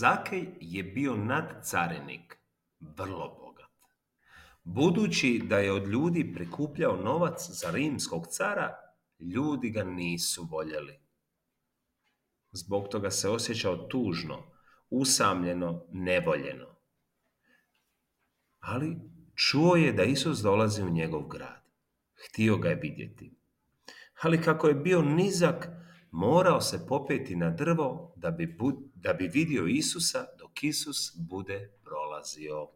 Zakej je bio nadcarinik, vrlo bogat. Budući da je od ljudi prikupljao novac za rimskog cara, ljudi ga nisu voljeli. Zbog toga se osjećao tužno, usamljeno, nevoljeno. Ali čuo je da Isus dolazi u njegov grad. Htio ga je vidjeti. Ali kako je bio nizak, morao se popeti na drvo da bi vidio Isusa dok Isus bude prolazio.